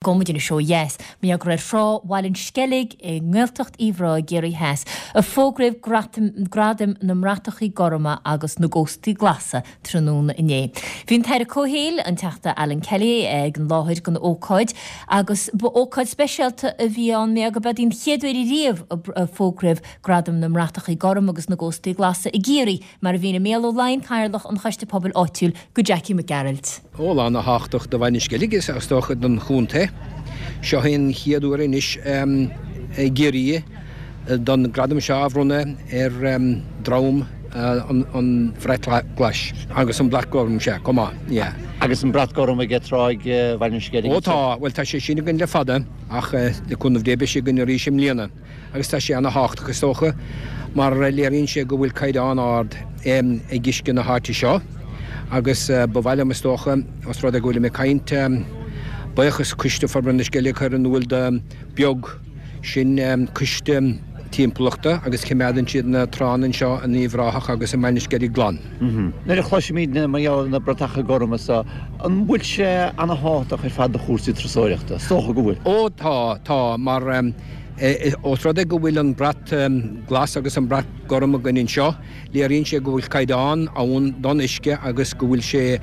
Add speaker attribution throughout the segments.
Speaker 1: Gabhfaidh muid anois ó dheas, mar gheall gur ar thrá Bhaile an Sceilg i nGaeltacht Uíbh Ráthaigh i gCiarraí Theas a fógraíodh Gradaim na mBratachaí Gorma agus na gCóstaí Glasa tráthnóna inné. Bhí an tAire Comhshaoil, an Teachta Alan Kelly, ag an láthair don ócáid agus ba ócáid speisialta a bhí ann mar gurb í an chéad uair riamh a fógraíodh Gradaim na mBratachaí Gorma agus na gCóstaí Glasa i gCiarraí, mar a mhínigh Mícheál Ó Laighin, Cathaoirleach an Choiste Pobail Áitiúil, go Jackie Mac Gearailt.
Speaker 2: Ó, lá ana-thábhachtach do Bhaile an Sceilg is dócha don chontae. Seo é an chéad uair anois i gCiarraí don gradam seo a bhronnadh ar dhream an Bhrait Ghlais agus an Brat Gorm, sea, chomh maith, yeah.
Speaker 3: Agus an Brat Gorm ag Tráigh Bhaile an Sceilg
Speaker 2: Ó tá, bhuel tá sé sin againn le fada ach le cúnamh Dé beidh sé againn arís i mbliana. Agus tá sé ana-thábhachtach, is dócha, mar léiríonn sé go bhfuil caighdeán ard ag uisce na háite seo. Agus ba mhaith liom, is dócha, os rud é go bhfuilim ag caint, buíochas Coiste Forbartha na Sceilge a chur in iúl do Beag, sin coiste timpeallachta agus coimeádann siad na tránna anseo in Uíbh Ráthach agus i mBaile na Sceilge glan.
Speaker 3: Nuair a chloisimid mar gheall ar na bratacha gorma so, an bhfuil sé ana-thábhachtach ar fad do chúrsaí turasóireachta? Is dócha go bhfuil.
Speaker 2: Ó tá, tá, mar Ós rud é go bhfuil an brat glas agus an brat gorm againn anseo, léiríonn sé go bhfuil caighdeán ann don uisce agus go bhfuil sé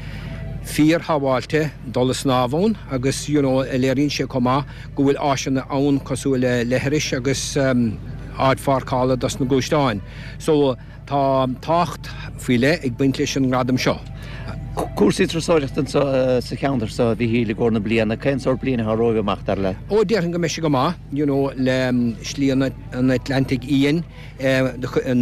Speaker 2: fíor-shábháilte dul ag snámh ann agus you know léiríonn sé chomh maith go bhfuil áiseanna ann cosúil le leithris agus áit pháirceála dos na gluaisteáin. So. Tá tábhacht faoi leith ag baint leis an ngradam seo.
Speaker 3: Cúrsaí turasóireachta anseo sa cheantar seo, a Mhíchíl, i gcomhair na bliana, cén sórt bliain atá romhaibh amach, dar leat?
Speaker 2: Ó, déarfainn go mbeidh sé go maith, you know, le Slí an Atlantaigh Fhiáin,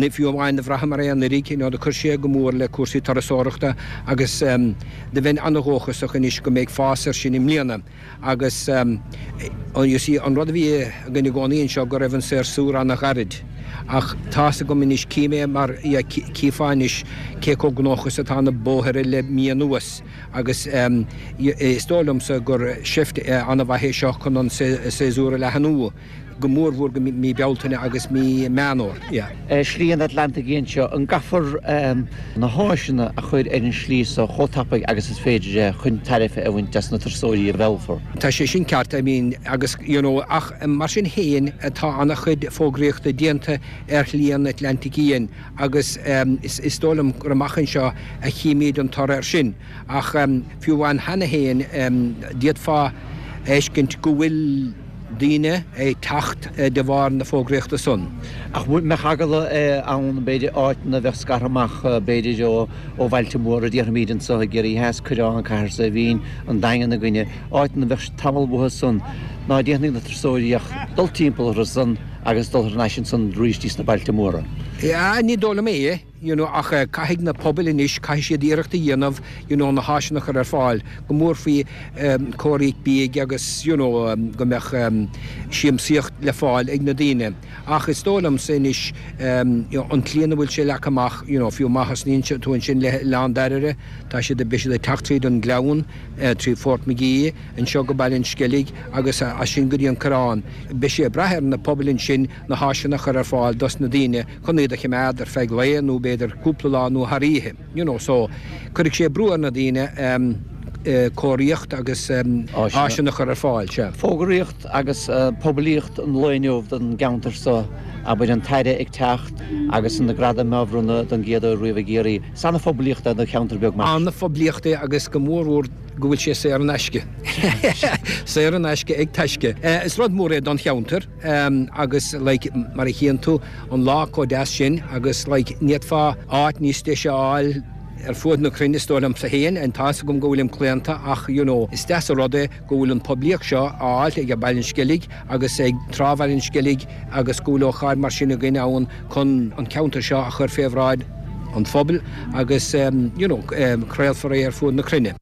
Speaker 2: fiú amháin do bhraitheamar é anuraidh, you know, do chuir sé go mór le cúrsaí turasóireachta agus do bheinn an-dhóchasach anois go mbeidh fás air sin i mbliana. Agus, you see, an rud a bhí againn i gcónaí anseo go raibh an séasúr an-ghairid. Ach tá's agam anois, cím é mar, yeah, chífeá anois cé chomh gnóthach is atá na bóithre le mí anuas agus is dóigh liomsa gur seift an-mhaith é seo chun an séasúr a leathnú. go mór mhór go mí Bealtaine agus mí Meán Fhómhair.
Speaker 3: Slí an Atlantaigh Fhiáin seo, an gcaithfear na háiseanna a chur ar an slí so chomh tapaidh agus is féidir é chun tairbhe a bhaint as na turasóirí a mheallfar?
Speaker 2: Tá sé sin ceart, I mean, agus you know, ach mar sin féin tá an-chuid fógraíochta déanta ar Shlí an Atlantaigh Fhiáin agus is dóigh liom gur amach anseo a chímíd an toradh air sin. Ach fiú amháin cheana féin d'fhéadfá a fheiscint go bhfuil daoine ag teacht de bharr na fógraíochta san.
Speaker 3: Ach mbeadh eagla ann, b'fhéidir, áiteanna a bheadh scartha amach, b'fhéidir, ó bhailte móra, déarfaimid anseo i gCiarraí Theas, Coireán, Cathair Saidhbhín, an Daingean againne, áiteanna a bheadh tamall uathu san, ná déanfaidh na turasóirí ach dul timpeall orthu san agus dul thar n-ais ansan arís dtí sna bailte móra.
Speaker 2: Ní dóigh liom é. you know ach caithfidh na pobail anois, caithfidh siad iarracht a dhéanamh you know na háiseanna a chur ar fáil, go mór faoi cóiríocht bídh agus you know go mbeadh siamsaíocht le fáil ag na daoine. Ach is dóigh liomsa anois you know an tslí ina bhfuil sé leagtha amach you know fiú má thosnaíonn tú ansin le hOileán Dairbhre, tá siad, beidh siad ag teacht tríd an Gleann, trí Phort McGee, anseo go Baile an Sceilg agus as sin go dtí an Coireán. Beidh sé ag brath ar na pobail ansin na háiseanna a chur ar fáil dos na daoine chun iad a choimeád ar feadh lae nó b'fhéidir cúpla lá nó thar oíche, you know, so cuirfidh sé brú ar na daoine cóiríocht agus áiseanna a chur ar fáil, sea.
Speaker 3: Fógraíocht agus poiblíocht an lae inniu don gceantar seo, abair an tAire ag teacht agus na gradaim á bhronnadh don gcéad uair riamh i gCiarraí. Is ana-phoiblíocht é do cheantar beag mar.
Speaker 2: Ana-phoiblíocht é agus go mór mhór go bhfuil sé saor in aisce. Saor in aisce ag Taisce. Is rud mór é don cheantar. Agus like mar a chíonn tú an lá chomh deas sin agus like ní fhéadfá áit níos deise a fháil ar fuaid na cruinne is dóigh liomsa féin and tá's agam go bhfuilim claonta ach you know is deas an rud é go bhfuil an poiblíocht seo á fháilt ag Baile an Sceilg agus ag Trá Bhaile an Sceilg agus go bhfuil ócáid mar sin againn ann chun an ceantar seo a chur fé bhráid an phobail agus you know craolfar é ar fuaid na cruinne.